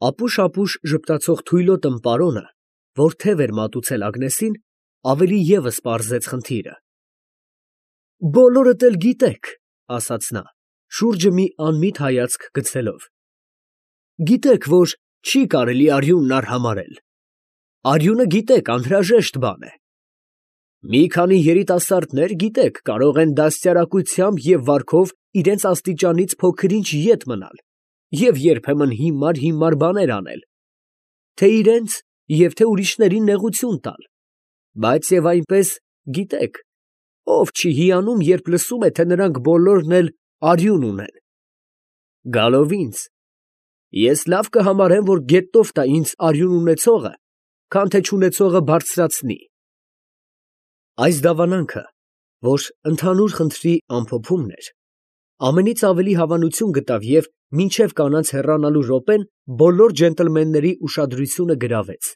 Ապուշ ժպտացող թույլոտն պարոնը, որ թև էր մատուցել Ագնեսին, ավելի ևս պարզեց խնդիրը։ Բոլորդ էլ գիտեք, ասաց նա, շուրջը մի անմիտ հայացք գցելով. գիտեք, որ չի կարելի արյունն արհամարհել։ Արյունը գիտեք, անհրաժեշտ բան է։ Մի քանի երիտասարդներ, գիտեք, կարող են դաստիարակությամբ և վարքով իրենց աստիճանից փոքր-ինչ ետ մնալ և երբեմն հիմար բաներ անել, թե իրենց և թե ուրիշներին նեղություն տալ, բայց և այնպես, գիտեք, ով չի հիանում, երբ լսում է, թե նրանք բոլորն էլ արյուն ունեն։ Գալով ինձ, ես լավ կհամարեմ, որ գետով տա ինձ արյուն ունեցողը, քան թե չունեցողը բարձրացնի։ Այս դավանանքը, որ ընդհանուր խնդրի ամփոփումն էր, ամենից ավելի հավանություն գտավ և մինչև կանանց հեռանալու րոպեն բոլոր ջենտլմենների ուշադրությունը գրավեց։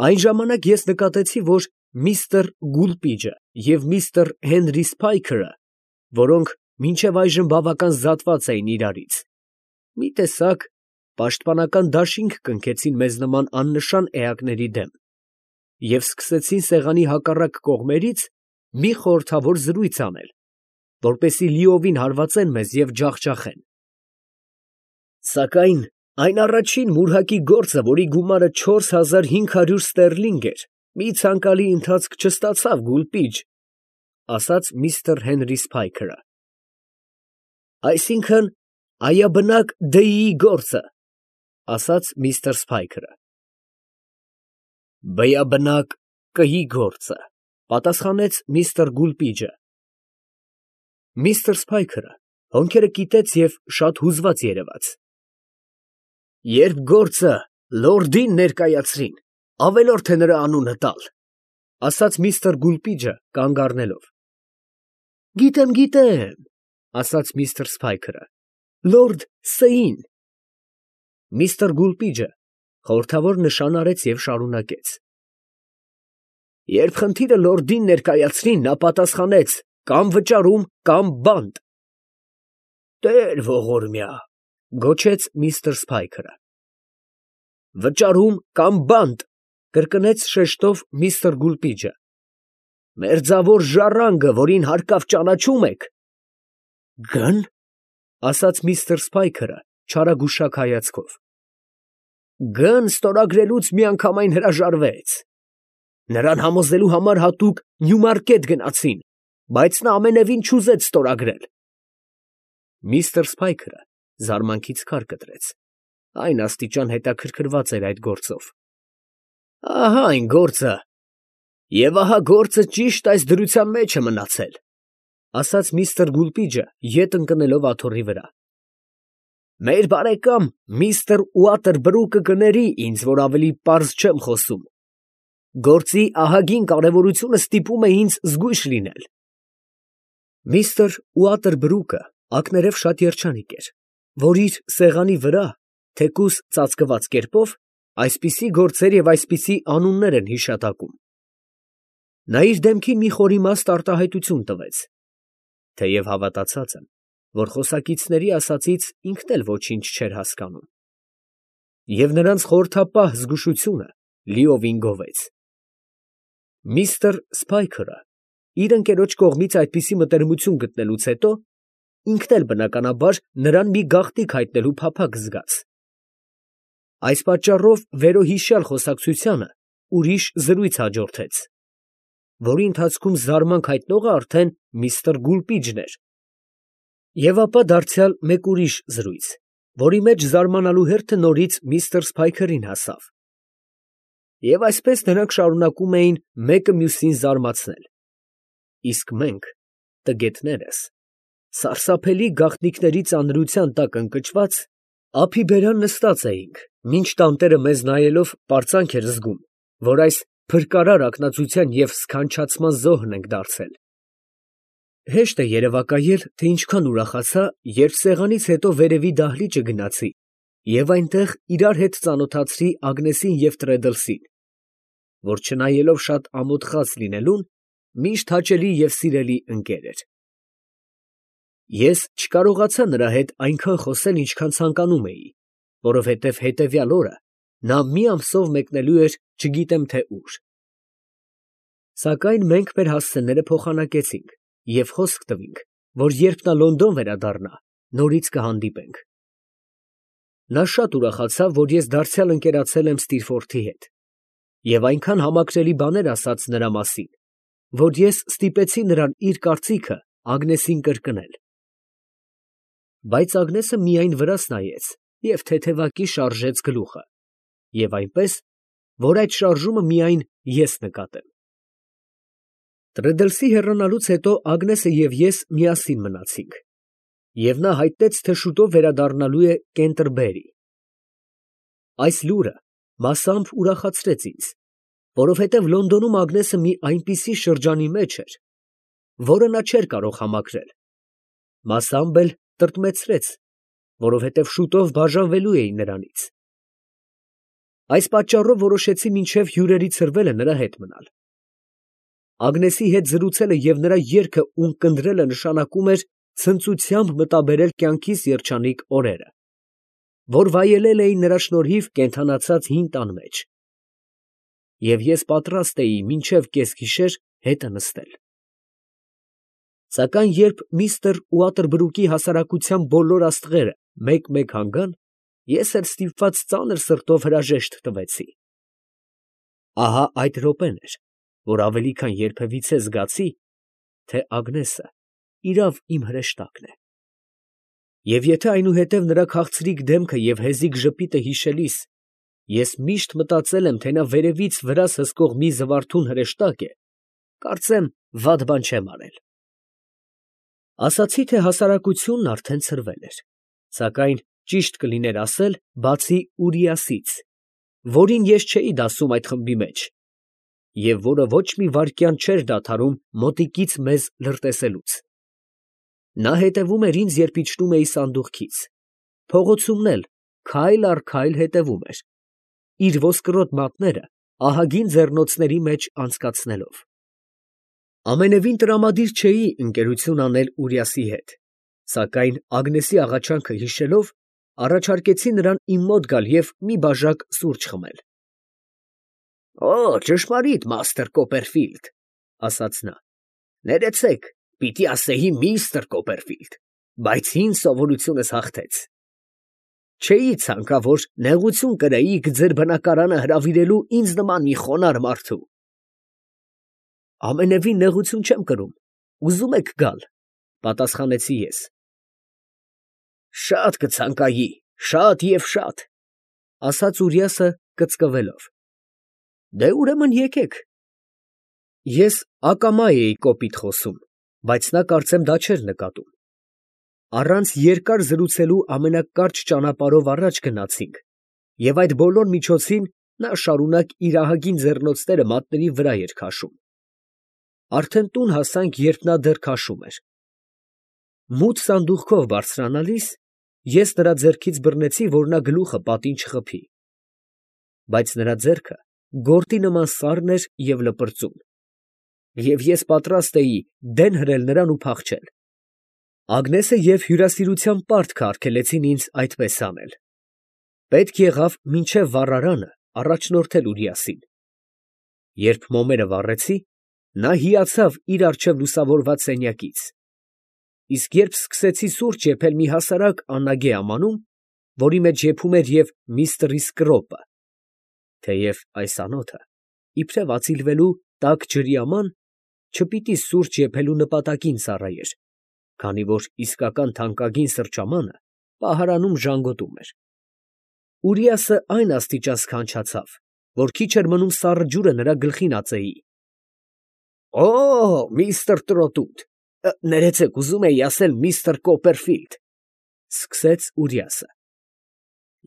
Այն ժամանակ ես նկատեցի, որ միստր Գուլպիջը և միստր Հենրի Սփայքերը, որոնք մինչև այժմ բավական զատված էին իրարից, մի տեսակ պաշտպանական դաշինք կնքեցին մեզ նման աննշան էակների դեմ և սկսեցին սեղանի հակառակ կողմերից մի խորհրդավոր զրույց անել, որպեսզի լիովին հարվածեն մեզ և ջախջախեն։ Սակայն այն առաջին մուրհակի գործը, որի գումարը 4500 ստերլինգ էր, մի ցանկալի ընթացք չստացավ, Գուլպիջ, ասաց միստր Հենրի Սփայքերը։ Այսինքն, այաբնակ դեիի գործը, ասաց միստր Սփայքերը։ Բյաբնակ կհի գործը, պատասխանեց միստր Գուլպիջը։ Միստր Սփայքերը հոնքերը կիտեց և շատ հուզված երևաց։ Երբ գործը լորդին ներկայացրին, ավելորդ է նրա անունը տալ, ասաց միստր Գուլպիջը կանգ առնելով։ Գիտեմ, ասաց միստր Սփայքերը, լորդ Սեին։ Միստր Գուլպիջը խորհրդավոր նշան արեց և շարունակեց. Երբ խնդիրը լորդին ներկայացրին, նա պատասխանեց. կամ վճարում, կամ բանտ։ Տեր ողորմյա, գոչեց միստր Սփայքերը։ Վճարում կամ բանտ, կրկնեց շեշտով միստր Գուլպիջը։ Մերձավոր ժառանգը, որին հարկավ ճանաչում եք։ Գն, ասաց միստր Սփայքերը չարագուշակ հայացքով։ Գն ստորագրելուց միանգամայն հրաժարվեց։ Նրան համոզելու համար հատուկ Նյումարկետ գնացին, բայց նա ամենևին չուզեց ստորագրել։ Միստր Սփայքերը զարմանքից քար կտրեց, այն աստիճան հետաքրքրված էր այդ գործով։ Ահա այն գործը, և ահա գործը ճիշտ այս դրության մեջ է մնացել, ասաց միստր Գուլպիջը, ետ ընկնելով աթոռի վրա։ Մեր բարեկամ միստր Ուատերբրուկը կների ինձ, որ ավելի պարզ չեմ խոսում։ Գործի ահագին կարևորությունը ստիպում է ինձ զգույշ լինել։ Միստր Ուատերբրուկը ակներև շատ երջանիկ էր, որ իր սեղանի վրա, թեկուզ ծածկված կերպով, այսպիսի գործեր և այսպիսի անուններ են հիշատակում։ Նա իր դեմքին մի խորիմաստ արտահայտություն տվեց, թեև հավատացած եմ, որ խոսակիցների ասածից ինքն էլ ոչինչ չէր հասկանում։ Եվ նրանց խորհրդապահ զգուշությունը լիովին գովեց։ Միստր Սփայքերը իր ընկերոջ կողմից այդպիսի մտերմություն գտնելուց հետո, ինքն էլ բնականաբար նրան մի գաղտնիք հայտնելու փափագ զգաց։ Այս պատճառով վերոհիշյալ խոսակցությանը ուրիշ զրույց հաջորդեց, որի ընթացքում զարմանք հայտնողը արդեն միստր Գուլպիջն էր, և ապա դարձյալ մեկ ուրիշ զրույց, որի մեջ զարմանալու հերթը նորից միստր Սփայքերին հասավ։ Եվ այսպես նրանք շարունակում էին մեկը մյուսին զարմացնել, իսկ մենք, տգետներս, սարսափելի գաղտնիքների ծանրության տակ ընկճված, ափի բերան նստած էինք, մինչ տանտերը մեզ նայելով պարծանք էր զգում, որ այս փրկարար ակնածության և սքանչացման զոհն ենք դարձել։ Հեշտ է երևակայել, թե ինչքան ուրախացա, երբ սեղանից հետո վերևի դահլիճը գնացի և այնտեղ իրար հետ ծանոթացրի Ագնեսին և Տրեդլսին, որ չնայելով շատ ամոթխած լինելուն, միշտ հաճելի և սիրելի ընկեր էր։ Ես չկարողացա նրա հետ այնքան խոսել, ինչքան ցանկանում էի, որովհետև հետևյալ օրը նա մի ամսով մեկնելու էր չգիտեմ թե ուր։ Սակայն մենք մեր հասցեները փոխանակեցինք և խոսք տվինք, որ երբ նա Լոնդոն վերադառնա, նորից կհանդիպենք։ Նա շատ ուրախացավ, որ ես դարձյալ ընկերացել եմ Ստիլֆորթի հետ, և այնքան համակրելի բաներ ասաց նրա մասին, որ ես ստիպեցի նրան իր կարծիքը Ագնեսին կրկնել։ Բայց Ագնեսը միայն վրաս նայեց և թեթևակի շարժեց գլուխը, և այնպես, որ այդ շարժումը միայն ես նկատեմ։ Տրդլսի հեռանալուց հետո Ագնեսը և ես միասին մնացինք, և նա հայտնեց, թե շուտով վերադառնալու է Կենտերբերի։ Այս լուրը մասամբ ուրախացրեց ինձ, որովհետև Լոնդոնում Ագնեսը մի այնպիսի շրջանի մեջ էր, որը նա չէր կարող համակրել, մասամբ էլ տրտմեցրեց, որովհետև շուտով բաժանվելու էի նրանից։ Այս պատճառով որոշեցի մինչև հյուրերի ցրվելը նրա հետ մնալ։ Ագնեսի հետ զրուցելը և նրա երգը ունկնդրելը նշանակում էր ցնծությամբ մտաբերել կյանքիս երջանիկ օրերը, որ վայելել էի նրա շնորհիվ կենդանացած հին տան մեջ, և ես պատրաստ էի մինչև կեսգիշեր հետը նստել։ Սակայն երբ միստր Ուատերբրուկի հասարակության բոլոր աստղերը մեկ֊մեկ հանգան, ես էլ ստիպված ծանր սրտով հրաժեշտ տվեցի։ Ահա այդ րոպեն էր, որ ավելի քան երբևիցե զգացի, թե Ագնեսը իրավ իմ հրեշտակն է։ Եվ եթե այնուհետև նրա քաղցրիկ դեմքը և հեզիկ ժպիտը հիշելիս ես միշտ մտածել եմ, թե նա վերևից վրաս հսկող մի զվարթուն հրեշտակ է, կարծեմ վատ բան չեմ արել։ Ասացի, թե հասարակությունն արդեն ցրվել էր, սակայն ճիշտ կլիներ ասել, բացի Ուրիասից, որին ես չէի դասում այդ խմբի մեջ, և որը ոչ մի վայրկյան չէր դադարում մոտիկից մեզ լրտեսելուց։ Նա հետևում էր ինձ, երբ իջնում էի սանդուղքից, փողոցումն էլ քայլ առ քայլ հետևում էր, իր ոսկրոտ մատները ահագին ձեռնոցների մեջ անցկացնելով։ Ամենևին տրամադիր չէի ընկերություն անել Ուրիասի հետ, սակայն Ագնեսի աղաչանքը հիշելով, առաջարկեցի նրան իմ մոտ գալ և մի բաժակ սուրճ խմել։ ֊ Օ, ճշմարիտ, մաստր Կոպերֆիլդ, ֊ ասաց նա, ֊ ներեցեք, պիտի ասեի միստր Կոպերֆիլդ, բայց ինձ սովորությունս հաղթեց։ Չէի ցանկա, որ նեղություն կրեիք ձեր բնակարանը հրավիրելու ինձ նման մի խոնարհ մարդու։ Ամենևին նեղություն չեմ կրում, ուզում եք գալ, ֊ պատասխանեցի ես։ Շատ կցանկայի, շատ և շատ, ֊ ասաց Ուրիասը կծկվելով։ Դե ուրեմն եկեք։ Ես ակամա էի կոպիտ խոսում, բայց նա կարծեմ դա չէր նկատում։ Առանց երկար զրուցելու ամենակարճ ճանապարհով առաջ գնացինք, և այդ բոլոր միջոցին նա շարունակ իր ահագին ձեռնոցները մատների վրա էր քաշում։ Արդեն տուն հասանք, երբ նա դեռ քաշում էր։ Մութ սանդուղքով բարձրանալիս ես նրա ձեռքից բռնեցի, որ նա գլուխը պատին չխփի։ Բայց նրա ձեռքը գորտի նման սառն էր և լպրծուն, և ես պատրաստ էի դեն հրել նրան ու փախչել։ Ագնեսը և հյուրասիրության պարտքը արգելեցին ինձ այդպես անել։ Պետք եղավ մինչև վառարանը առաջնորդել Ուրիասին։ Երբ մոմերը վառեցի, նա հիացավ իր առջև լուսավորված սենյակից, իսկ երբ սկսեցի սուրճ եփել մի հասարակ անագե ամանում, որի մեջ եփում էր և միստր Իսկրոպը, թեև այս անոթը, իբրև ածիլվելու տաք ջրի աման, չպիտի սուրճ եփելու նպատակին ծառայեր, քանի որ իսկական թանկագին սրճամանը պահարանում ժանգոտում էր, Ուրիասը այն աստիճան սքանչացավ, որ քիչ էր մնում սառը ջուրը նրա գլխին ածեի։ Օ, միստր Տրոտուտ, ներեցեք, ուզում էի ասել միստր Կոպերֆիլդ, ֊ սկսեց Ուրիասը։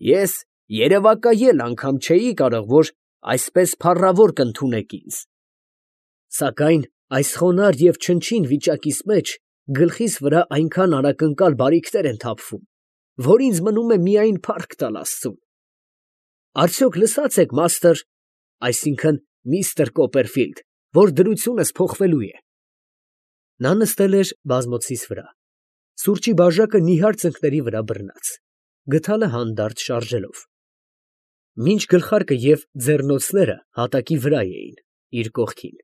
Ես երևակայել անգամ չէի կարող, որ այսպես փառավոր կընդունեք ինձ։ Սակայն այս խոնարհ և չնչին վիճակիս մեջ գլխիս վրա այնքան անակնկալ բարիքներ են թափվում, որ ինձ մնում է միայն փառք տալ աստծուն։ Արդյոք լսած եք, մաստր, այսինքն միստր Կոպերֆիլդ, որ դրությունս փոխվելու է։ Նա նստել էր բազմոցիս վրա, սուրճի բաժակը նիհար ծնկների վրա բռնած։ գդալը հանդարտ շարժելով։ Մինչ գլխարկը և ձեռնոցները հատակի վրա էին, իր կողքին։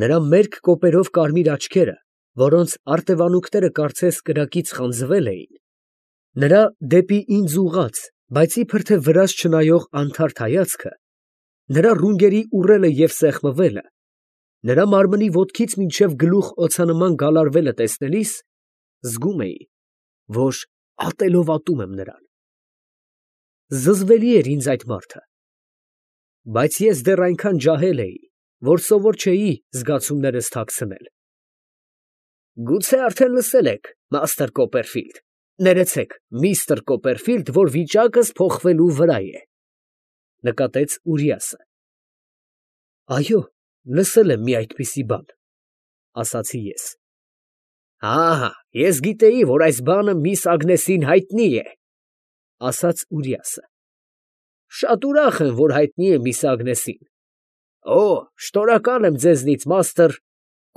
Նրա մերկ կոպերով կարմիր աչքերը, որոնց արտևանունքները կարծես կրակից խանձվել էին, նրա դեպի ինձ ուղղած, բայց իբր թե վրաս չնայող անթարթ հայացքը, նրա ռունգերի ուռելը և սեղմվելը, նրա մարմնի ոտքից մինչև գլուխ օձանման գալարվելը տեսնելիս, զգում էի, որ ատելով ատում եմ նրան։ Զզվելի էր ինձ այդ մարդը, բայց ես դեռ այնքան ջահել էի, որ սովոր չէի զգացումներս թաքցնել։ Գուցե արդեն լսել եք, մաստր Կոպերֆիլդ, ներեցեք, միստր Կոպերֆիլդ, որ վիճակս փոխվելու վրա է, նկատեց Ուրիասը։ Այո, լսել եմ մի այդպիսի բան, ասացի ես։ Ահա, ես գիտեի, որ այս բանը միս Ագնեսին հայտնի է, ասաց Ուրիասը։ Շատ ուրախ եմ, որ հայտնի է միս Ագնեսին։ Օ, շնորհակալ եմ ձեզնից, մաստր,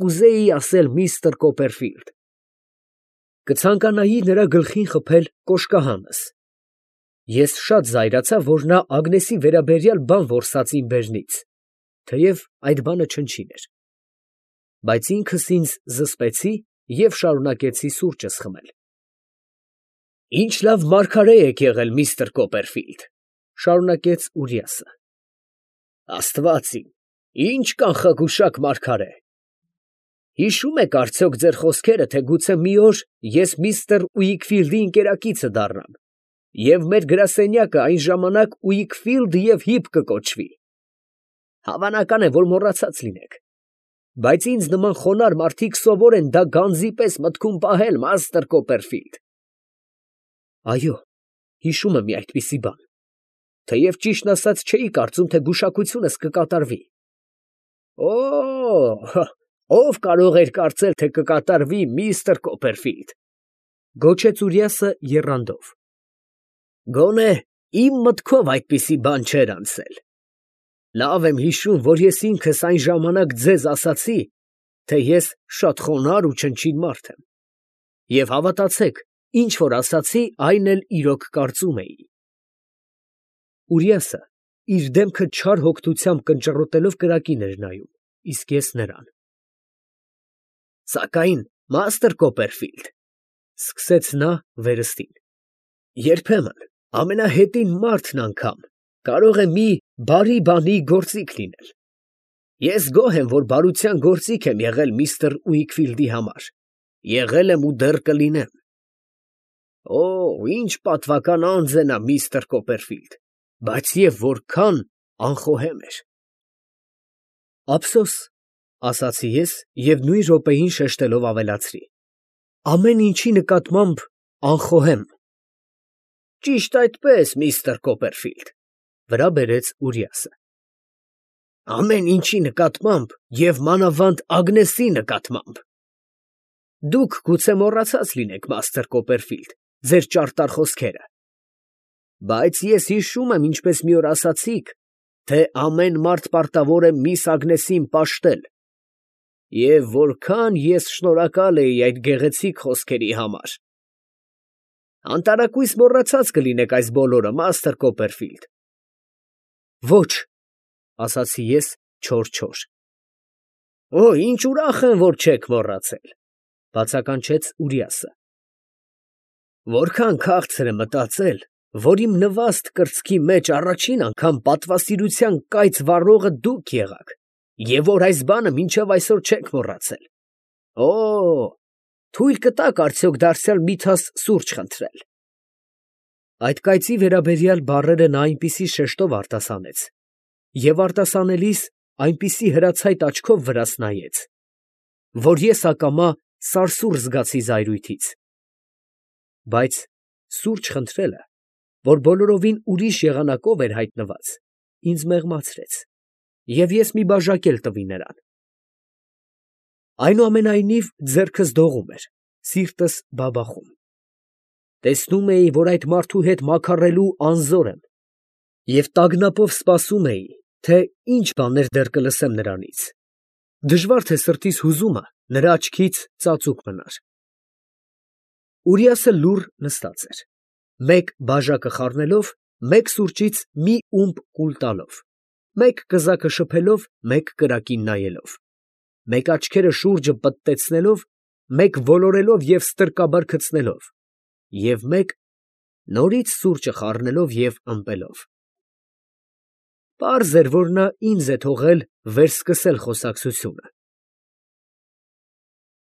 կուզեի ասել միստր Կոպերֆիլդ։ Կցանկանայի նրա գլխին խփել կոշկահանս։ Ես շատ զայրացա, որ նա Ագնեսի վերաբերյալ բան որսաց իմ բերանից, թեև այդ բանը չնչին էր։ Բայց ինքս ինձ զսպեցի և շարունակեցի սուրճս խմել։ Ինչ լավ մարգարե եք եղել, միստր Կոպերֆիլդ, շարունակեց Ուրիասը։ Աստված իմ, ինչ կանխագուշակ մարգարե։ Հիշում եք արդյոք ձեր խոսքերը, թե գուցե մի օր ես միստր Ուիկֆիլդի ընկերակիցը դառնամ, և մեր գրասենյակը այն ժամանակ Ուիկֆիլդ և Հիփ կկոչվի։ Հավանական է, որ մոռացած լինեք, բայց ինձ նման խոնարհ մարդիկ սովոր են դա գանձի պես մտքում պահել, մաստր Կոպերֆիլդ։ Այո, հիշում եմ մի այդպիսի բան, թեև ճիշտն ասած չէի կարծում, թե գուշակությունս կկատարվի։ Օ, ով կարող էր կարծել, թե կկատարվի, միստր Կոպերֆիլդ, գոչեց Ուրիասը եռանդով։ Գոնե իմ մտքով այդպիսի բան չէր անցել։ Լավ եմ հիշում, որ ես ինքս այն ժամանակ ձեզ ասացի, թե ես շատ խոնարհ ու չնչին մարդ եմ։ Եվ հավատացեք, ինչ որ ասացի, այն էլ իրոք կարծում էի։ Ուրիասը իր դեմքը չար հոգնությամբ կնճռոտելով կրակին էր նայում, իսկ ես նրան։ Սակայն, մաստր Կոպերֆիլդ, սկսեց նա վերստին, երբեմն ամենահետին մարդն անգամ կարող է մի բարի բանի գործիք լինել։ Ես գոհ եմ, որ բարության գործիք եմ եղել միստր Ուիկֆիլդի համար, եղել եմ ու դեռ կլինեմ։ Օ, ինչ պատվական անձ է նա, միստր Կոպերֆիլդ, բայց և որքան անխոհեմ էր։ Ափսոս, ասացի ես և նույն րոպեին շեշտելով ավելացրի. ամեն ինչի նկատմամբ անխոհեմ։ Ճիշտ այդպես, միստր Կոպերֆիլդ, վրա բերեց Ուրիասը։ Ամեն ինչի նկատմամբ և մանավանդ Ագնեսի նկատմամբ։ Դուք գուցե մոռացած լինեք, մաստր Կոպերֆիլդ, ձեր ճարտար խոսքերը, բայց ես հիշում եմ, ինչպես մի օր ասացիք, թե ամեն մարդ պարտավոր է միս Ագնեսին պաշտել, և որքան ես շնորհակալ էի այդ գեղեցիկ խոսքերի համար։ Անտարակույս մոռացած կլինեք այս բոլորը, մաստր Կոպերֆիլդ։ Ոչ, ասացի ես չոր։ Օ, ինչ ուրախ եմ, որ չեք մոռացել, բացականչեց Ուրիասը։ Որքան քաղցր է մտածել, որ իմ նվաստ կրծքի մեջ առաջին անգամ պատվասիրության կայծ վառողը դուք եղաք, և որ այս բանը մինչև այսօր չեք մոռացել։ Օ, թույլ կտաք արդյոք դարձյալ մի թաս սուրճ խնդրել։ Այդ կայծի վերաբերյալ բառերը նա այնպիսի շեշտով արտասանեց, և արտասանելիս այնպիսի հրացայտ աչքով վրաս նայեց, որ ես ակամա սարսուռ զգացի զայրույթից։ Բայց սուրճ խնդրելը, որ բոլորովին ուրիշ եղանակով էր հայտնված, ինձ մեղմացրեց, և ես մի բաժակ էլ տվի նրան։ Այնուամենայնիվ ձեռքս դողում էր, սիրտս բաբախում։ Տեսնում էի, որ այդ մարդու հետ մաքարrելու անզոր եմ, և տագնապով սպասում էի, թե ինչ բաներ դեռ կլսեմ նրանից։ Դժվար թե սրտիս հուզումը նրա աչքից ծածուկ մնար։ Ուրիասը լուռ նստած էր։ մեկ բաժակը խառնելով, մեկ սուրճից մի ումպ կուլ տալով, մեկ կզակը շփելով, մեկ կրակին նայելով, մեկ աչքերը շուրջը պտտեցնելով, մեկ ոլորելով և ստրկաբար քցնելով, և մեկ նորից սուրճը խառնելով և ըմպելով։ Պարզ էր, որ նա ինձ է թողել վերսկսել խոսակցությունը։